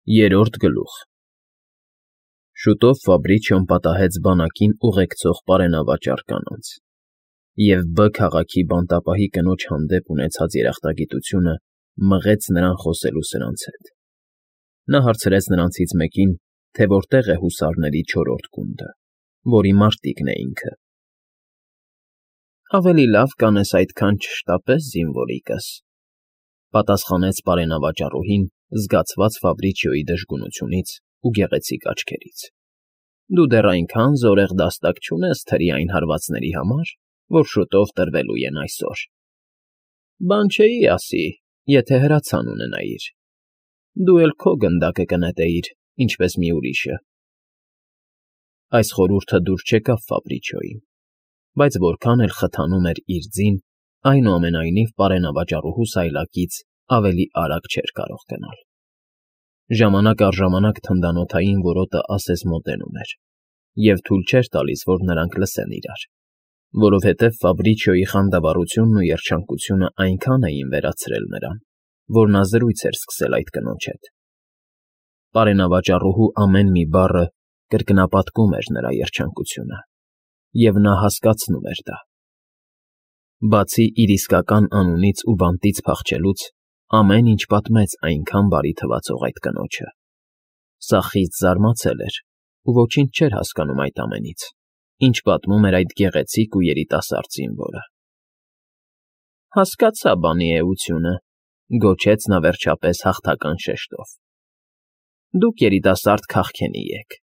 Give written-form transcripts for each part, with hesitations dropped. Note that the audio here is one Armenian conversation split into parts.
Երրորդ գլուխ Շուտով Ֆաբրիչիոն պատահեց բանակին ուղեկցող պարենավաճառ կանանց, և Բ քաղաքի բանտապահի կնոջ հանդեպ ունեցած երախտագիտությունը մղեց նրան խոսելու սրանց հետ։ Նա հարցրեց նրանցից մեկին, թե որտեղ է հուսարների չորրորդ գունդը, որի մարտիկն է ինքը։ Ավելի լավ կանես այդքան չշտապես, զինվորիկս, պատասխանեց պարենավաճառուհին, զգացված Ֆաբրիչիոյի դժգունությունից ու գեղեցիկ աչքերից։ Դու դեռ այնքան զորեղ դաստակ չունես թրի այն հարվածների համար, որ շուտով տրվելու են այսօր։ Բան չէի ասի, եթե հրացան ունենայիր։ Դու էլ քո գնդակը կնետեիր, ինչպես մի ուրիշը։ Այս խորհուրդը դուր չեկավ Ֆաբրիչիոյին, բայց որքան էլ խթանում էր իր ձին, այնուամենայնիվ պարենավաճառուհու սայլակից ավելի արագ չէր կարող գնալ։ Ժամանակ առ ժամանակ թնդանոթային որոտը ասես մոտենում էր, և թույլ չէր տալիս, որ նրանք լսեն իրար, որովհետև Ֆաբրիչիոյի խանդավառությունն ու երջանկությունը այնքան էին վերացրել նրան, որ նա զրույց էր սկսել այդ կնոջ հետ։ Պարենավաճառուհու ամեն մի բառը կրկնապատկում էր նրա երջանկությունը, և նա հասկացնում էր դա։ Բացի իր իսկական անունից ու բանտից փախչելուց, ամեն ինչ պատմեց այնքան բարի թվացող այդ կնոջը։ Սա խիստ զարմացել էր ու ոչինչ չէր հասկանում այդ ամենից, ինչ պատմում էր այդ գեղեցիկ ու երիտասարդ զինվորը։ Հասկացա բանի էությունը, գոչեց նա վերջապես հաղթական շեշտով։ Դուք երիտասարդ քաղքենի եք,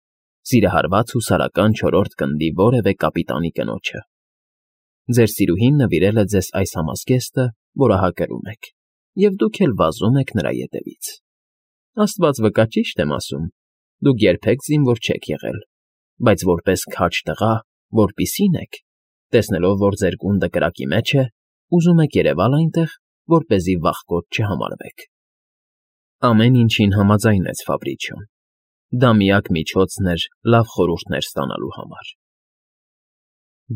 սիրահարված հուսարական չորրորդ գնդի որևէ կապիտանի կնոջը։ Ձեր սիրուհին նվիրել է ձեզ այս համազգեստը, որը հա կրում եք, և դուք էլ վազում եք նրա ետևից։ Աստված վկա, ճիշտ եմ ասում, դուք երբեք զինվոր չեք եղել, բայց որպես քաջ տղա, որպիսին եք, տեսնելով, որ ձեր գունդը կրակի մեջ է, ուզում եք երևալ այնտեղ, որպեսզի վախկոտ չհամարվեք։ Ամեն ինչին համաձայնեց Ֆաբրիչիոն։ Դա միակ միջոցն էր լավ խորհուրդներ ստանալու համար։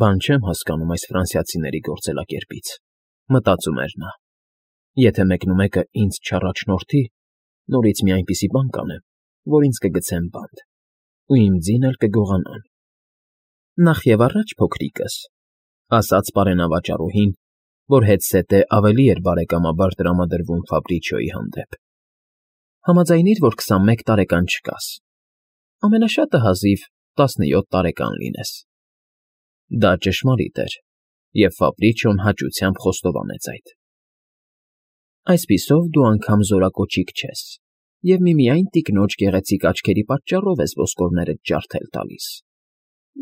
Բան չեմ հասկանում այս ֆրանսիացիների գործելակերպից, մտածում էր նա։ Եթե մեկնումեկը ինձ չառաջնորդի, նորից մի այնպիսի բան կանեմ, որ ինձ կգցեն բանտ, ու իմ ձին էլ կգողանան։ Նախևառաջ, փոքրիկս, ասաց պարենավաճառուհին, որ հետզհետե ավելի էր բարեկամաբար տրամադրվում Ֆաբրիչիոյի հանդեպ։ Համաձայնիր, որ 21 տարեկան չկաս, ամենաշատը հազիվ 17 տարեկան լինես։ Դա ճշմարիտ էր, և Ֆաբրիչիոն հաճությամբ խոստովանեց այդ։ Այսպիսով դու անգամ զորակոչիկ չես, և միմիայն տիկնոջ գեղեցիկ աչքերի պատճառով ես ոսկորներդ ջարդել տալիս։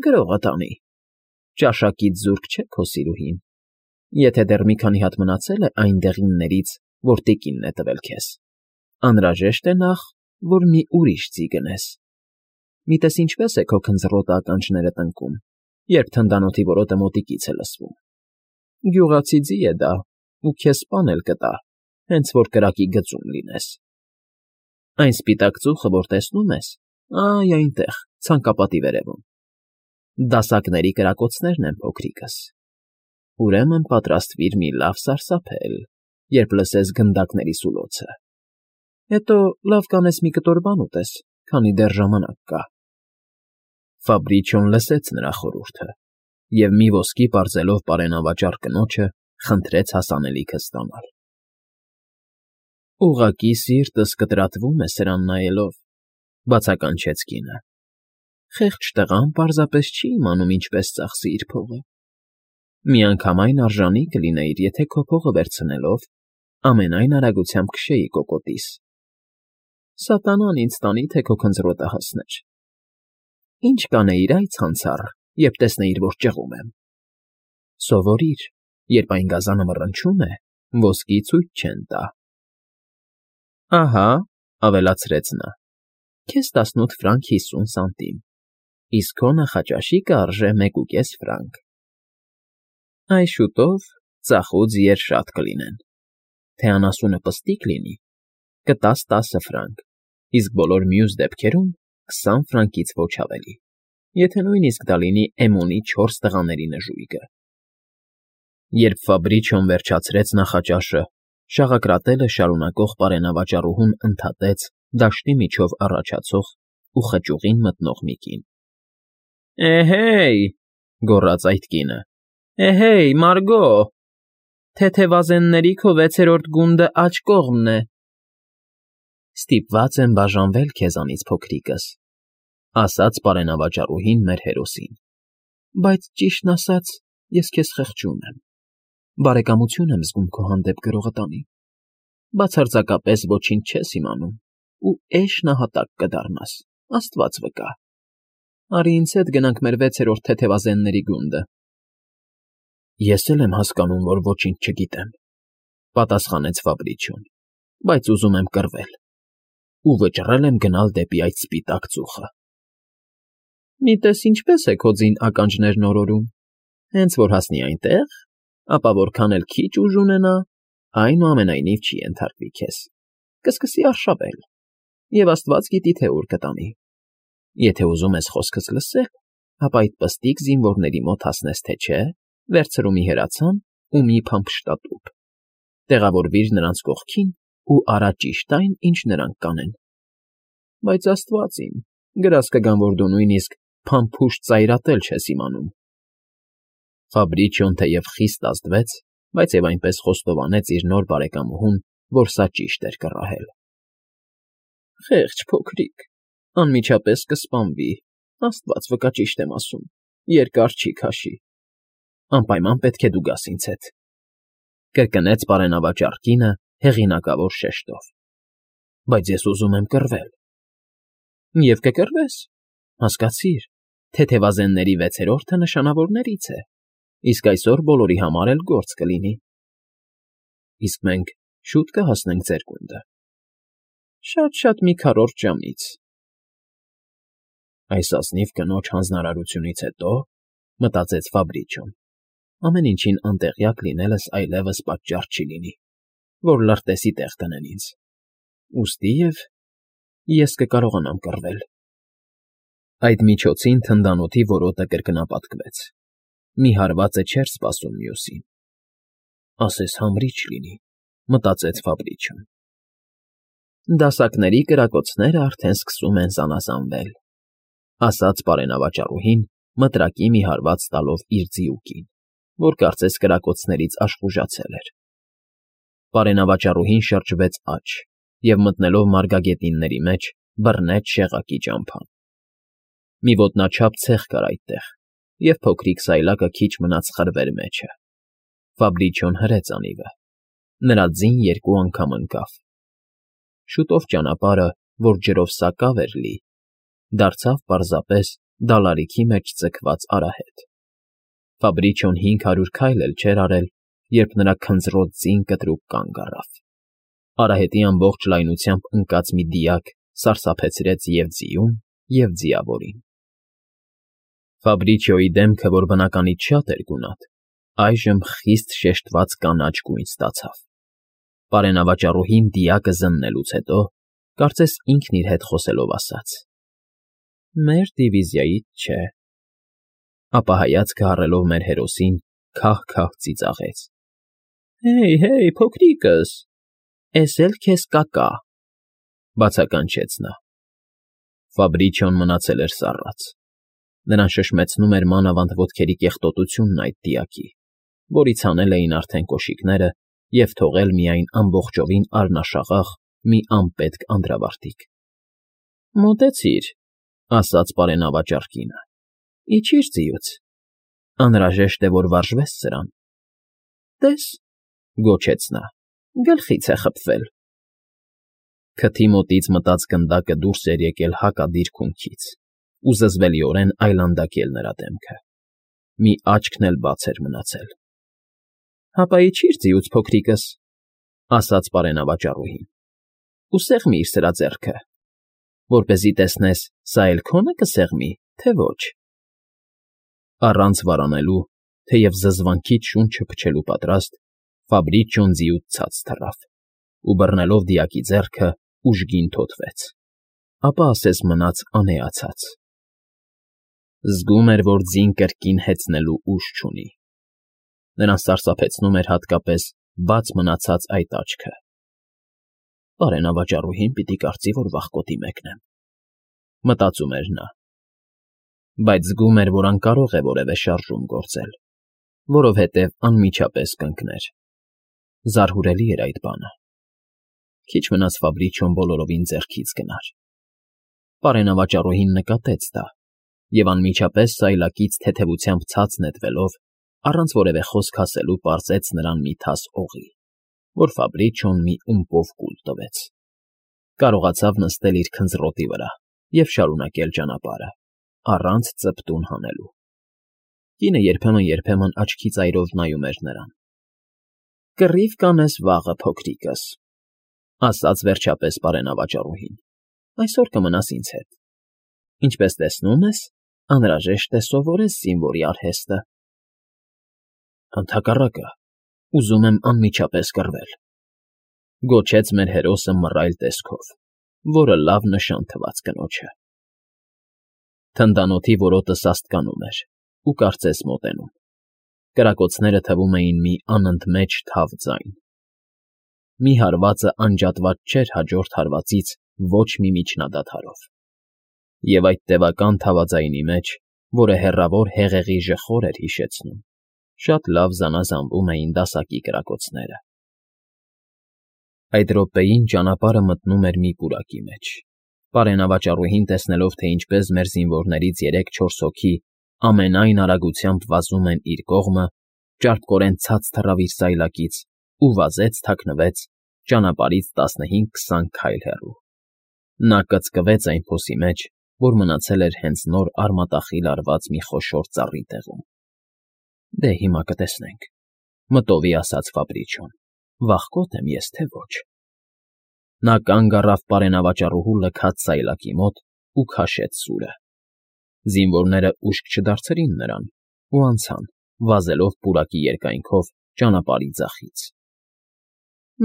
Գրողը տանի, ճաշակից զուրկ չէ քո սիրուհին, եթե դեռ մի քանի հատ մնացել է այն դեղիններից, որ տիկինն է տվել քեզ, անհրաժեշտ է նախ, որ մի ուրիշ ձի գնես։ Մի տես ինչպես է քո քնձռոտը ականջները տնկում, երբ թնդանոթի որոտը մոտիկից է լսվում։ Գյուղացի ձի է դա, ու քեզ սպան էլ կտա, հենց որ կրակի գծում լինես։ Այն սպիտակ ծուխը, որ տեսնում ես, այ այնտեղ, ցանկապատի վերևում։ Դասակների կրակոցներն են, փոքրիկս։ Ուրեմն պատրաստվիր մի լավ սարսափել, երբ լսես գնդակների սուլոցը։ Հետո լավ կանես մի կտոր բան ուտես, քանի դեռ ժամանակ կա։ Ֆաբրիչիոն լսեց նրա խորհուրդը և մի ոսկի պարզելով պարենավաճառ կնոջը խնդրեց հասանելիքը ստանալ։ Ուղղակի սիրտս կտրատվում է սրան նայելով, բացականչեց կինը։ Խեղճ տղան պարզապես չի իմանում ինչպես ծախսի իր փողը։ Միանգամայն արժանի կլինեիր, եթե քո փողը վերցնելով ամենայն արագությամբ քշեի կոկոտիս։ Սատանան ինձ տանի, թե քո քնձռոտը հասներ։ Ինչ կանեիր, այ ցանցառ, երբ տեսնեիր, որ ճղում եմ։ Սովորիր, երբ այն գազանը մռնչում է, ոսկի ցույց չեն տա։ Ահա, ավելացրեց նա, քեզ 18 ֆրանկ 50 սանտիմ, իսկ քո նախաճաշիկը արժե 1.5 ֆրանկ։ Այ շուտով ծախուց եր շատ կլինեն, թե անասունը պստիկ լինի, կտաս 10 ֆրանկ, իսկ բոլոր մյուս դեպքերում 20 ֆրանկից ոչ ավելի, եթե նույնիսկ դա լինի Էմոնի 4 տղաների նժույգը։ Երբ Ֆաբրիչիոն վերջացրեց նախաճաշը, շաղակրատելը շարունակող պարենավաճառուհուն ընդհատեց, դաշտի միջով առաջացող ու խճուղին մտնող մի կին։ Էհե՜յ,֊ գոռաց այդ կինը,֊ էհե՜յ, Մարգո, թեթևազենների քո 6-րդ գունդը աջ կողմն է։ Ստիպված եմ բաժանվել քեզանից, փոքրիկս,֊ ասաց պարենավաճառուհին մեր հերոսին,֊ բայց ճիշտն ասած, ես քեզ խղճում եմ, բարեկամություն եմ զգում քո հանդեպ գրողտանի, բացարձակապես ոչինչ չես իմանում ու էշ նահատակ կդառնաս, Աստված վկա։ Արի ինձ հետ գնանք մեր 6-րդ թեթևազենների գունդը։ Ես էլ եմ հասկանում, որ ոչինչ չգիտեմ,֊ պատասխանեց Ֆաբրիչոն,֊ բայց ուզում եմ կռվել ու վճռել եմ գնալ դեպի այդ սպիտակ ծուխը։ Մի տես ինչպես է քո ձին ականջներն օրորում, հենց որ հասնի այնտեղ, ապա որքան էլ քիչ ուժ ունենա, այնուամենայնիվ չի ենթարկվի քեզ, կսկսի արշավել, և Աստված գիտի, թե ուր կտանի։ Եթե ուզում ես խոսքս լսել, ապա այդ պստիկ զինվորների մոտ հասնես, թե չէ, վերցրու մի հրացան ու մի փամփշտատուփ, տեղավորվիր նրանց կողքին ու արա ճիշտ այն, ինչ նրանք կանեն։ Բայց Աստված իմ, գրազ կգան, որ դու նույնիսկ փամփուշտ ծայրատել չես իմանում։ Ֆաբրիչիոն թեև խիստ ազդվեց, բայց և այնպես խոստովանեց իր նոր բարեկամուհուն, որ սա ճիշտ էր կռահել։ Խեղճ փոքրիկ, անմիջապես կսպանվի, Աստված վկա ճիշտ եմ ասում, երկար չի քաշի։ Անպայման պետք է դու գաս ինձ հետ,֊ կրկնեց պարենավաճառ կինը հեղինակավոր շեշտով։ Բայց ես ուզում եմ կռվել։ Եվ կկռվես, հասկացիր, թեթևազենների 6-րդը նշանավորներից է, իսկ այսօր բոլորի համար էլ գործ կլինի։ Իսկ մենք շուտ կհասնենք ձեր գունդը։ Շատ-շատ մի քառորդ ժամից։ Այս ազնիվ կնոջ հանձնարարությունից հետո, մտածեց Ֆաբրիչոն, ամեն ինչին անտեղյակ լինելս այլևս պատճառ չի լինի, որ լրտեսի տեղ տնեն ինձ։ Ուստիև ես կկարողանամ կռվել։ Այդ միջոցին թնդանոթի որոտը կրկնապատկվեց։ Մի հարվածը չէր սպասում մյուսին։ Ասես համրիչ լինի, մտածեց Ֆաբրիչոն։ Դասակների կրակոցները արդեն սկսում են զանազանվել, ասաց պարենավաճառուհին, մտրակի մի հարված տալով իր ձիուկին, որ կարծես կրակոցներից աշխուժացել էր։ Պարենավաճառուհին շրջվեց աջ և մտնելով մարգագետինների մեջ, բռնեց շեղակի ճամփան։ Մի ոտնաչափ ցեղ կար այդտեղ, և փոքրիկ սայլակը քիչ մնաց խրվեր մեջը։ Ֆաբրիչոն հրեց անիվը։ Նրա ձին 2 անգամ ընկավ։ Շուտով ճանապարհը, որ ջրով սակավ էր լի, դարձավ պարզապես դալարիքի մեջ ձգված արահետ։ Ֆաբրիչոն 500 քայլ էլ չէր արել, երբ նրա քնձռոտ ձին կտրուկ կանգ առավ։ Արահետի ամբողջ լայնությամբ ընկած մի դիակ սարսափեցրեց և ձիուն, և ձիավորին։ Ֆաբրիչիոյի դեմքը, որ բնականից շատ էր գունատ, այժմ խիստ շեշտված կանաչ գույն ստացավ։ Պարենավաճառուհին դիակը զննելուց հետո, կարծես ինքն իր հետ խոսելով ասաց. Մեր դիվիզիայից չէ։ Ապա հայացքը առելով մեր հերոսին, քահ֊քահ ծիծաղեց. Հեյ, փոքրիկս, էս էլ քեզ կակա,֊ բացականչեց նա։ Ֆաբրիչիոն մնացել էր սառած։ Նրան շշմեցնում էր մանավանդ ոտքերի կեղտոտությունն այդ դիակի, որից հանել էին արդեն կոշիկները և թողել միայն ամբողջովին առնաշաղախ մի անպետք անդրավարտիք։ Մոտեցիր, ասաց պարենավաճառ կինը, իջիր ձիուց, անհրաժեշտ է, որ վարժվես սրան։ Տես, գոչեց նա, գլխից է խփվել։ Քթի մոտից մտած գնդակը դուրս էր եկել հակադիր քունքից ու զզվելիորեն այլանդակել նրա դեմքը։ Մի աչքն էլ բաց էր մնացել։ Հապա իջիր ձիուց, փոքրիկս, ասաց պարենավաճառուհին, ու սեղմիր սրա ձեռքը, որպեսզի տեսնես, սա էլ քո՞նը կսեղմի, թե ոչ։ Առանց վարանելու, թեև զզվանքից շունչը փչելու պատրաստ, Ֆաբրիչիոն ձիուց ցած թռավ ու բռնելով դիակի ձեռքը ուժգին թոթվեց, ապա ասես մնաց անեացած։ Զգում էր, որ ձին կրկին հեծնելու ուժ չունի։ Նրան սարսափեցնում էր հատկապես բաց մնացած այդ աչքը։ Պարենավաճառուհին պիտի կարծի, որ վախկոտի մեկնեմ, մտածում էր նա, բայց զգում էր, որ անկարող է որևէ շարժում գործել, որովհետև անմիջապես կընկներ. զարհուրելի էր այդ բանը, քիչ մնաց Ֆաբրիչոն բոլորովին ձեռքից գնար, պարենավաճառուհին նկատեց դա և անմիջապես սայլակից թեթևությամբ ցած նետվելով, առանց որևէ խոսք ասելու պարզեց նրան մի թաս օղի, որ Ֆաբրիչոն մի ումպով կուլ տվեց, կարողացավ նստել իր քնձռոտի վրա և շարունակել ճանապարհը, առանց ծպտուն հանելու, կինը երբեմն աչքի ծայրով նայում էր նրան, «Կռիվ կանես վաղը, փոքրիկս», ասաց վերջապես պարենավաճառուհին, «այսօր կմնաս ինձ հետ, ինչպես տեսնում ես, անհրաժեշտ է սովորես զինվորի արհեստը»։ «Ընդհակառակը, ուզում եմ անմիջապես կռվել», գոչեց մեր հերոսը մռայլ տեսքով, որը լավ նշան թվաց կնոջը։ Թնդանոթի որոտը սաստկանում էր ու կարծես մոտենում, կրակոցները թվում էին մի անընդմեջ թավ ձայն։ Մի հարվածը անջատված չէր հաջորդ հարվածից ոչ մի միջնադադարով։ Եվ այդ տևական թավաձայնի մեջ, որը հեռավոր հեղեղի ժխոր էր հիշեցնում, շատ լավ զանազանվում էին դասակի կրակոցները։ Այդ րոպեին ճանապարհը մտնում էր մի պուրակի մեջ։ Պարենավաճառուհին տեսնելով, թե ինչպես մեր զինվորներից 3-4 հոգի ամենայն արագությամբ վազում են իր կողմը, ճարպկորեն ցած թռավ իր սայլակից ու վազեց թաքնվեց ճանապարհից 15-20 քայլ հեռու։ Նա կծկվեց այն փոսի մեջ, որ մնացել էր հենց նոր արմատախիլ արված մի խոշոր ծառի տեղում։ «Դե հիմա կտեսնենք», մտովի ասաց Ֆաբրիչոն, «վախկոտ եմ ես, թե ոչ»։ Նա կանգ առավ պարենավաճառուհու լքած սայլակի մոտ ու քաշեց սուրը։ Զինվորները ուշք չդարձրին նրան ու անցան, վազելով պուրակի երկայնքով ճանապարհի ձախից։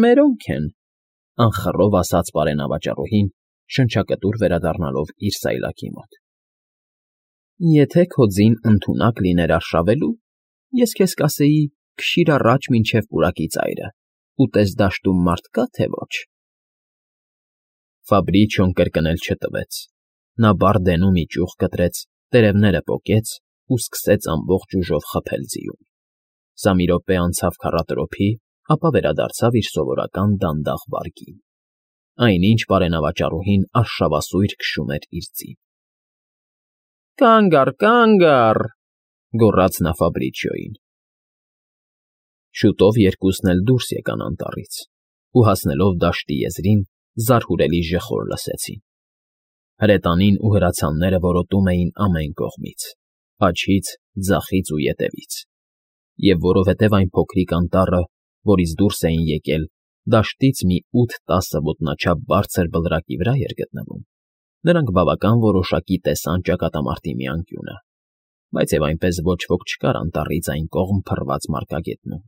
«Մերոնք են», անխռով ասաց պարենավաճառուհին, շնչակտուր վերադառնալով իր սայլակի մոտ։ «Եթե քո ձին ընդունակ լիներ արշավելու, ես քեզ կասեի քշիր առաջ մինչև պուրակի ծայրը, ուտես դաշտում մարդ կա, թե ոչ»։ Ֆաբրիչոն կրկնել չտվեց։ Նա բարդենու մի ճյուղ կտրեց, տերևները պոկեց ու սկսեց ամբողջ ուժով խփել ձիուն։ Սա մի րոպե անցավ քառատրոփի, ապա վերադարձավ իր սովորական դանդաղ վարգին, այնինչ պարենավաճառուհին արշավասույր քշում էր իր ձին։ «Կանգ առ», գոռաց նա Ֆաբրիչիոյին։ Շուտով երկուսն էլ դուրս եկան անտառից ու հասնելով դաշտի եզրին, զարհուրելի ժխոր լսեցին։ Հրետանին ու հրացանները որոտում էին ամեն կողմից, աջից, ձախից ու ետևից, և որովհետև այն փոքրիկ անտառը, որից դուրս էին եկել, դաշտից մի 8-10 ոտնաչափ բարձր բլրակի վրա էր գտնվում, նրանք բավական որոշակի տեսան ճակատամարտի մի անկյունը, բայց և այնպես ոչ ոք չկար անտառից այն կողմ փռված մարգագետնում։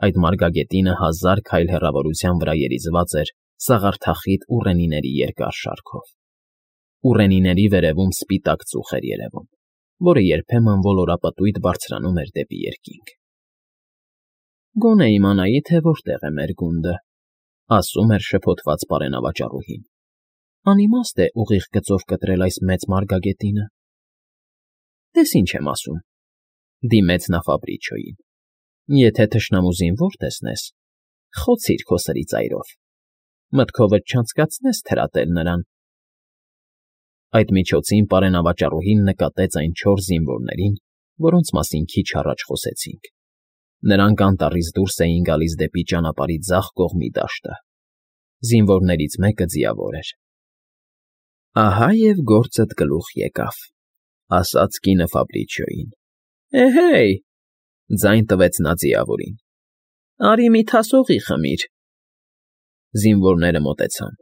Այդ մարգագետինը 1000 քայլ հեռավորության վրա երիզված էր սաղարթախիտ ուռենիների երկար շարքով։ Ուռենիների վերևում սպիտակ ծուխ էր երևում, որը երբեմն ոլորապտույտ բարձրանում էր դեպի երկինք։ «Գոնե իմանայի, թե որտեղ է մեր գունդը», ասում էր շփոթված պարենավաճառուհին։ «Անիմաստ է ուղիղ գծով կտրել այս մեծ մարգագետինը»։ «Տես ինչ եմ ասում», դիմեց նա Ֆաբրիչոյին։ «Եթե թշնամու զինվոր տեսնես, խոցիր քո սրի ծայրով, մտքովդ չանցկացնես թրատել նրան»։ Այդ միջոցին պարենավաճառուհին նկատեց այն 4 զինվորներին, որոնց մասին քիչ առաջ խոսեցինք։ Նրանք անտառից դուրս էին գալիս դեպի ճանապարհի ձախ կողմի դաշտը։ Զինվորներից մեկը ձիավոր էր։ «Ահա և գործդ գլուխ եկավ», ասաց կինը Ֆաբրիչիոյին։ «Էհե՜յ», ձայն տվեց նա ձիավորին, «արի մի թաս օղի խմիր»։ Զինվորները մոտեցան։